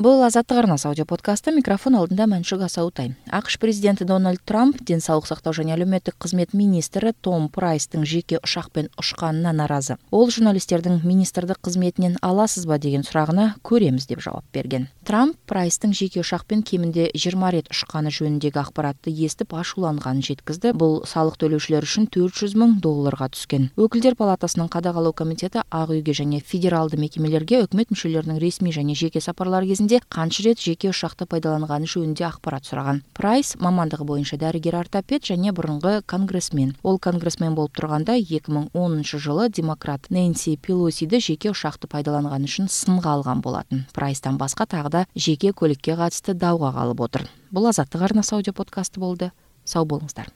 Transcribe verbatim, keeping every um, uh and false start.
Бул Азаттык арнасы аудио подкасты. Микрофон алдында Маншук Асаутай. АКШ президенти Дональд Трамп ден соолук сактоо жана әлеуметтик кызмет министри Том Прайстың жеке учакпен учканына нааразы. Ол журналисттердин министрдик кызметинен аласызбы деген сурагына көремиз деп жооп берген. Трамп Прайстың жеке учакпен кеминде жыйырма рет учканы жөнүндөгү акбаратты эстип ачууланганын жеткизди. Бул салык төлөөчүлөр үчүн төрт жүз миң долларга түскөн. Өкүлдөр палатасынын кадагалоо комитети Ак үйгө жана федералдуу мекемелерге өкмөт мүчөлөрүнүн ресмий жана жеке сапарлары кезинде канча рет жеке учакты пайдаланганы жөнүндө акбарат сураган. Прайс мамандыгы боюнча дарыгер-ортопед жана мурунку конгрессмен. Ол конгрессмен болуп турганда эки миң онунчу жылы демократ Нэнси Пелосиди жеке учакты пайдаланганы үчүн сынга алган болатын. Прайстан башка тагы да жеке көлүккө катысты дауга калып отур. Бул Азаттык арнасы аудио подкасты болду. Сау болуңуздар.